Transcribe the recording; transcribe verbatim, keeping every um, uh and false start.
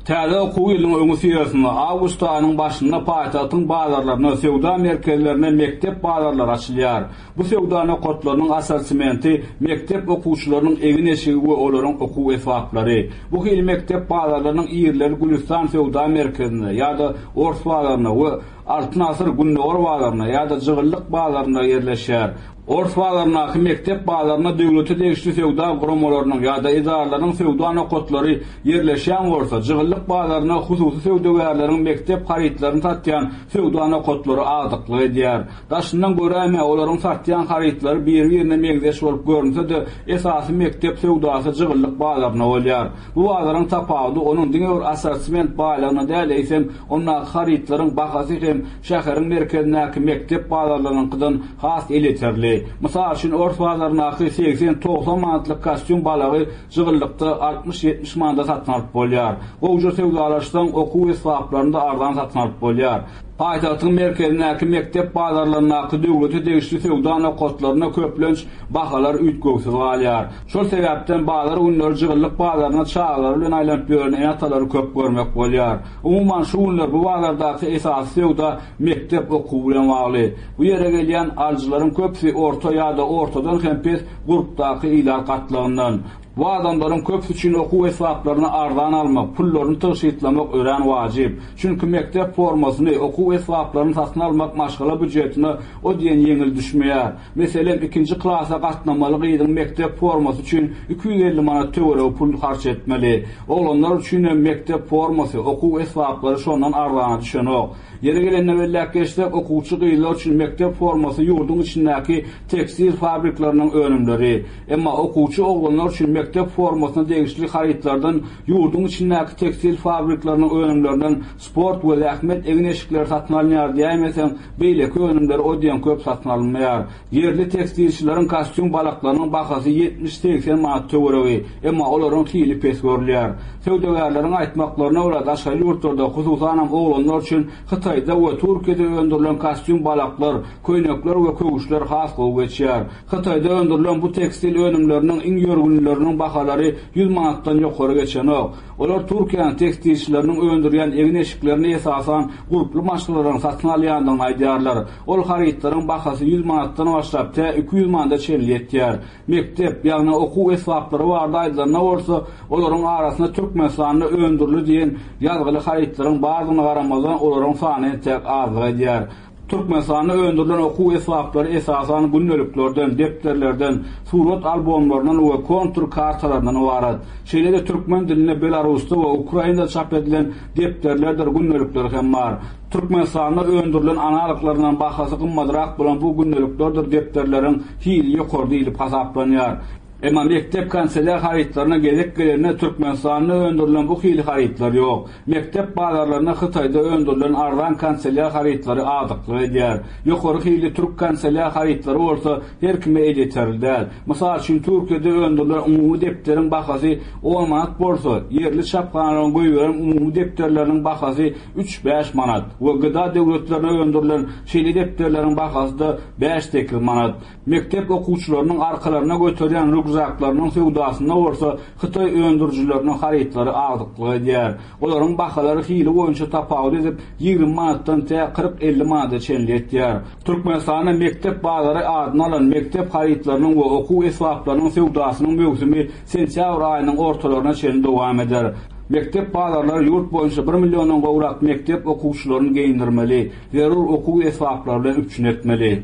Täze okuw ýylynyň öňüsyrasynda awgust aýynyň başynda paýtagtyň bazarlarynda, söwda merkezlerinde mekdep bazarlary açylýar. Bu söwda nokatlarynyň assortimenti mekdep okuwçylarynyň egin-eşigi we olaryň okuw esbaplary. Bu hili mekdep bazarlarynyň ýerleri Gülüstan söwda merkezinde ýa-da Ors bazarynda we Altyn Asyr Gündogar bazarynda ýa-da Jygyllyk bazarynda ýerleşýär. Ors bazaryndaky mekdep bazarynda döwlete degişli söwda guramalarynyň ýa-da edaralaryň söwda nokatlary ýerleşýän bolsa, Jygyllyk bazarynda hususy söwdagärleriň mekdep harytlaryny satýan söwda nokatlary agdyklyk edýär. Daşyndan göräýme olaryň satýan harytlary bir-birine meňzeş bolup görünse-de, esasy mekdep söwdasy Jygyllyk bazarynda bolýar. Bu bazaryň tapawudy onuň diňe bir assortiment baýlygyna däl, eýsem ondaky harytlaryň bahasy hem şäheriň merkezindäki mekdep bazarlarynyňkydan has elýeterli. Mysal üçin, Ors bazaryndaky segsen-togsan manatlyk kostýum balagy Jygyllykda altmyş-ýetmiş manada satyn alyp bolýar. Gowja söwdalaşsaň, okuw esbaplaryny da arzan satyn alyp bolýar. Paýtagtyň merkezindäki mekdep bazarlaryndaky döwlete degişli söwda nokatlarynda köplenç bahalar üýtgewsiz galýar. Şol sebäpden bazar günleri Jygyllyk bazaryna çagalary bilen aýlanyp ýören ene-atalary köp görmek bolýar. Umuman, şu günler bu bazardaky esasy söwda mekdep okuwy bilen bagly. Bu ýere gelýän alyjylaryň köpüsi orta ýa-da ortadan hem pes gurpdaky ilat gatlagyndan. Bu adamlaryň köpüsi üçin okuw esbaplaryny arzan almak, pullaryny tygşytlamak örän wajyp. Çünki mekdep formasyny, okuw esbaplaryny satyn almak maşgala býujetine o diýen ýeňil düşmeýär. Meselem, ikinji klasa gatnamaly gyzyň mekdep formasy üçin iki ýüz elli manat töweregi pul harç etmeli. Oglanlar üçin hem mekdep formasy, okuw esbaplary şondan arzana düşenok. Ýeri gelende belläp geçsek, okuwçy gyzlar üçin mekdep formasy ýurduň içindäki tekstil fabrikleriniň önümleri. Emma okuwçy oglanlar üçin mekdep formasyna degişli harytlardan ýurduň içindäki tekstil fabrikleriniň önümlerinden sport we zähmet egin-eşikleri satyn alynýar diýäýmeseň, beýleki önümleri o diýen köp satyn alynmaýar. Ýerli tekstilçileriň kostýum balaklarynyň bahasy ýetmiş-segsen manat töweregi, emma olaryň hili pes görülýär. Söwdagärleriň aýtmaklaryna görä, daşary ýurtlarda, hususanam oglanlar üçin Hytaýda we Türkiýede öndürilen kostýum balaklar, köýnekler we köwüşler has gowy geçýär. Hytaýda öndürilen bu tekstil önümleriniň iň ýörgünlileriniň bahalary ýüz manatdan ýokary geçenok. Olar Türkiýäniň tekstilçileriniň öndürýän egin-eşiklerini esasan gurply maşgalalaryň satyn alýandygyny aýdýarlar. Ol harytlaryň bahasy ýüz manatdan başlap tä iki ýüz manada çenli ýetýär. Mekdep, ýagny okuw esbaplary barada aýdylanda bolsa, olaryň arasynda Türkmenistanda öndürildi diýen ýazgyly harytlaryň bardygyna garamazdan, olaryň sany entek azlyk edýär. Türkmenistanda öndürilen okuw esbaplary esasan gündeliklerden, depderlerden, surat albomlaryndan we kontur kartalaryndan ybarat. Şeýle-de türkmen dilinde Belarusda we Ukrainada çap edilen depderlerdir gündelikler hem bar. Türkmenistanda öndürilen analoglaryndan bahasy gymmatrak bolan bu gündeliklerdir depderleriň hili ýokary diýlip hasaplanýar. Emma mekdep kanselýar harytlaryna gezek gelende Türkmenistanda öndürilen bu hili harytlar ýok. Mekdep bazarlarynda Hytaýda öndürilen arzan kanselýar harytlary agdyklyk edýär. Ýokary hili türk kanselýar harytlary bolsa her kime elýeterli däl. Mysal üçin, Türkiýede öndürilen umumy depderiň bahasy on manat bolsa, ýerli çaphanalaryň goýberen umumy depderleriniň bahasy üç-bäş manat we G D A döwletlerine öndürilen şeýle depderleriň bahasy-da bäş-sekiz manat. Mekdep okuwçylarynyň arkalaryna göterýän rükzaklarynyň söwdasynda bolsa Hytaý öndürijileriniň harytlary agdyklyk edýär. Olaryň bahalary hili boýunça tapawut edip, ýigrimi manatdan tä kyrk-elli manada çenli ýetýär. Türkmenistanda mekdep bazary adyny alan mekdep harytlarynyň we okuw esbaplarynyň söwdasynyň möwsümi sentýabr aýynyň ortalaryna çenli dowam eder. Mekdep bazarlary ýurt boýunça bir milliondan gowrak mekdep okuwçylaryny geýindirmeli, zerur okuw esbaplary bilen üpjün etmeli.